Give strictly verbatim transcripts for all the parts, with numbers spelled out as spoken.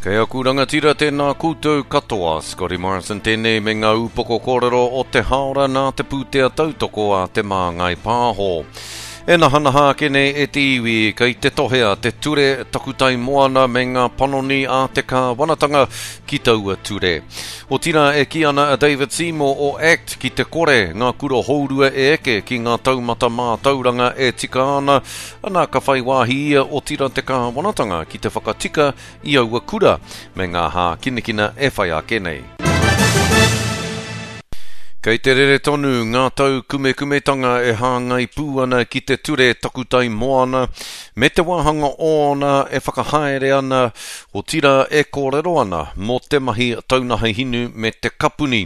Kei aku rangatira tēnā koutou katoa, Scotty Morrison tēnei me ngā upoko kōrero o te haora nā te pūtea tautoko a Te Māngai Pāho. E nahanaha ake nei e te iwi kei te tohea te ture takutai moana me ngā panoni a te kāwanatanga ki taua ture. Otirā e kī ana a David Seymour o ACT ki te kore ngā kura hourua e eke ki ngā taumata mātauranga e tika ana, ana ka whai wāhi ia otirā te kāwanatanga ki te whakatika i aua kura me ngā hākinakina e whai ake nei. Kei te rere tonu ngā taukumekumetanga e hāngai pū ana ki te ture takutai moana me te wāhanga ōna e whakahaere ana, otirā e kōrero ana mō te mahi taunaha hinu me te kapuni.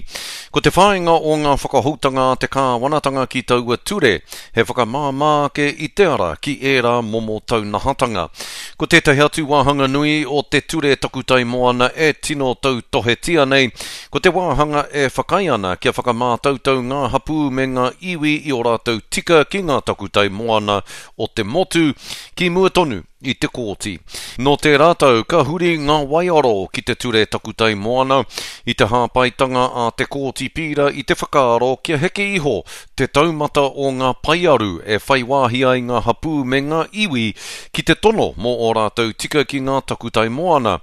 Ko te whāinga o ngā whakahoutanga a te kāwanatanga ki taua ture he whakamāmā ake i te ara ki ērā momo taunahatanga. Ko tētahi atu wāhanga nui o te ture takutai moana e tino tautohetia nei, ko te wāhanga e whakaae ana kia whakamātautau ngā hapū me ngā iwi i ō rātou tika ki ngā takutai moana o te motu, ki mua tonu i te kōti. Nō tērā tau ka huri ngā waiaro ki te ture takutai moana i te hāpaitanga a te kōti pīra i te whakaaro kia heke iho te taumata o ngā paearu e whai wāhi ai ngā hapū me ngā iwi ki te tono mō ō rātou tika ki ngā takutai moana.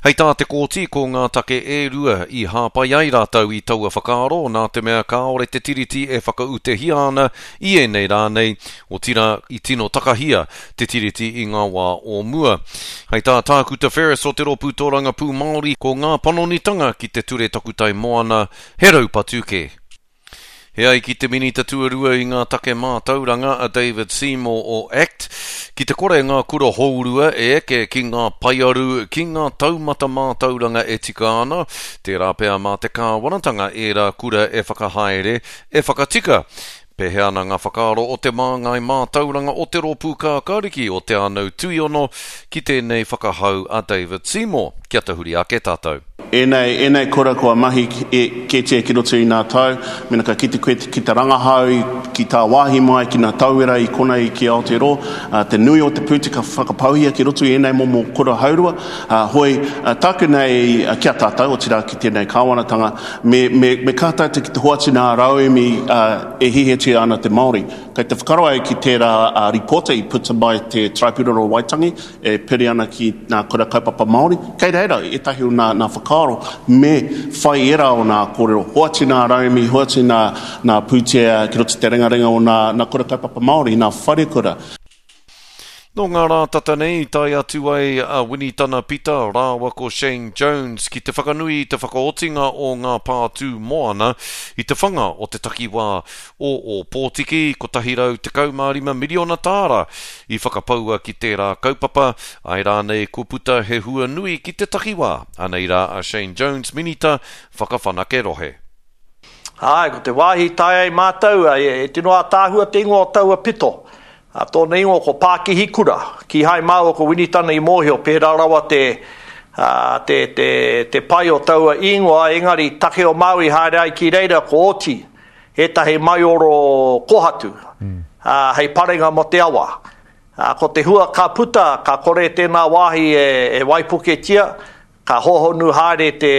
Hei tā te kōti ko ngā take e rua i hāpai ai rātou i taua whakaaro nā te mea kāore te tiriti e whakautehia ana i ēnei rā nei, otirā i tino takahia te tiriti i ngā wā o mua. Hei tā Tākuta Ferris o te Rōpū Tōrangapū Māori, ko ngā panonitanga ki te ture takutai moana he raupatu kē. He ai ki te minita tuarua i ngā take mātauranga a David Seymour o ACT, ki te kore ngā kura hourua e eke ki ngā paearu ki ngā taumata mātauranga e tika ana, tērā pea mā te kāwanatanga ērā kura e whakahaere, e whakatika. Pēhea ana ngā whakaaro o te māngai mātauranga o te Rōpū Kākāriki o Te Anau Tuiono ki tēnei whakahau a David Seymour? Kia tahuri ake tātou. Ēnei, ēnei kura kua mahi e, kētia ki roto i ngā tau, mena ka kite koe ki te rangahau, ki tā wāhi mai, ki ngā tauira i konei ki Aotearoa, te nui o te pūtea ka whakapauhia ki roto i ēnei momo kura haurua. Hoi, tāku nei ki a tātou, otirā ki tēnei kāwanatanga, me, me, me kā tātou ki te hoatu ngā rauemi e hihitia ana te Māori. Kei te whakaaro au ki tērā ripota i puta mai te Tribunal o Waitangi e piri ana ki ngā kura kaupapa Māori. Kei reira ētahi o ngā, ngā whakaaro me whai ērā o ngā kōrero. Hoatu ngā rauemi, hoatu ngā, ngā pūtea ki roto te ringaringa o ngā, ngā kura kaupapa Māori, ngā wharekura. Nō ngā rā tata nei, tae atu ai a Winitana Pita rāua ko Shane Jones ki te whakanui i te whakaotinga o ngā pātū moana i te whanga o te takiwā o Ōpōtiki, kotahi rau tekau mā rima miriona tāra i whakapaua ki tērā kaupapa, āe rānei kua puta he hua nui ki te takiwā. Anei rā a Shane Jones, Minita Whakawhanake Rohe. Āe, ko te wāhi tae ai mātou, e tino ātaahua te ingoa o taua pito. A tōna ingoa ko Pākihi Kura. Kīhai māua ko Winitana i mōhio, pērā rawa te, uh, te, te, te pai o taua ingoa, engari take o Māui haere ai ki reira ko oti, ētahi maioro kohatu, mm. uh, hei parenga mō te awa. Uh, ko te hua ka puta, ka kore tēnā wāhi e, e waipuketia, ka hohonu haere te,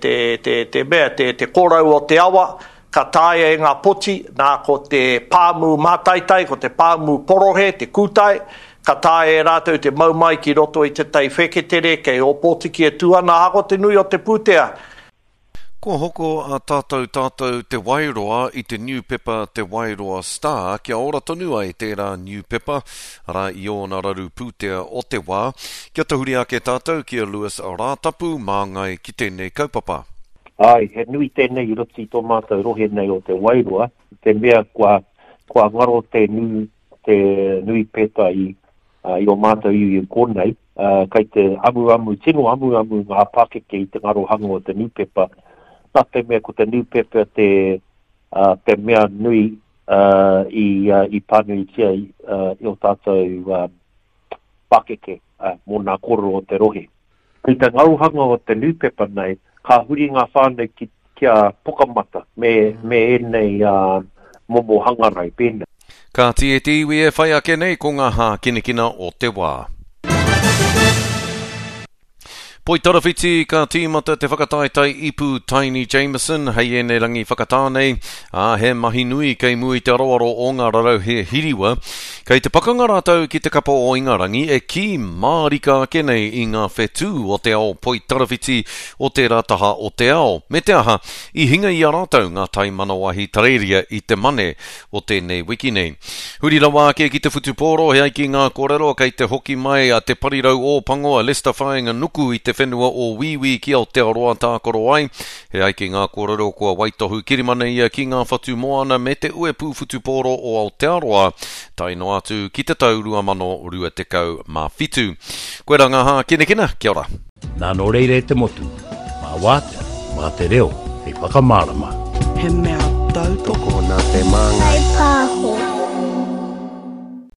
te, te, te mea, te, te kōrau o te awa, ka taea e ngā poti, nā ko te pāmu mātaitai, ko te pāmu porohe, te kūtai, ka taea e rātou te mau mai ki roto i te tai wheketere, kei Ōpōtiki e tū ana, ahakoa te nui o te pūtea. Kua hoko a Tātou Tātou Te Wairoa i te niupepa Te Wairoa Star kia ora tonu ai tērā niupepa, arā i ōna raru pūtea o te wā. Kia tahuri ake tātou ki a Lewis Rātapu māngai ki tēnei kaupapa. Ai, he nui tēnei i roto i tō mātou rohe nei o Te Wairoa, te mea kua, kua ngaro te, nui, te nui peta i, uh, i o mātou iwi i konei, uh, kei te amuamu, tino amuamu ngā pakeke i te ngarohanga o te nūpepa, nā te mea ko te nūpepa te, uh, te mea nui uh, i, uh, i pānuitia i, uh, i o tātou uh, pakeke uh, mō nā kōrero o te rohe. I te ngarohanga o te nūpepa nei, ka huri ngā whānau ki, ki a Pukamata me, me ēnei uh, momo hangarau pēnei. Kāti e te iwi e whai ake nei ko ngā hākinakina o te wā. Poitarawhiti ka tīmata te whakataetae ipu Taini Jamison hei ēnei rangi whakatā nei, ā, he mahi nui kei mua i te aroaro o ngā rarauhe hiriwa. Kei te pakanga rātou ki te kapa o Ingarangi e kī mārika ake nei i ngā whetū o te ao poitarawhiti o tērā taha o te ao. Me te aha, i hinga i a rātou ngā taimanawa Ahitereiria i te Mane o tēnei wiki nei. Huri rawa ake ki te whutupōro, he ai ki ngā kōrero kei te hoki mai a te parirau Ōpango a Lester Whainganuku i te whenua o Wīwī ki Aotearoa tākaro ai. He ai ki ngā kōrero kua waitohu kirimana ia ki ngā whatu moana me te uepū whutupōro o Aotearoa tae noa atu ki te tau rua mano rua tekau mā whitu. Koirā ngā hākinakina, kia ora. Nā nō reira e te motu, mā wātea, mā te reo hei whakamārama. He mea tautoko. Tokona te māngai. Whai pāho.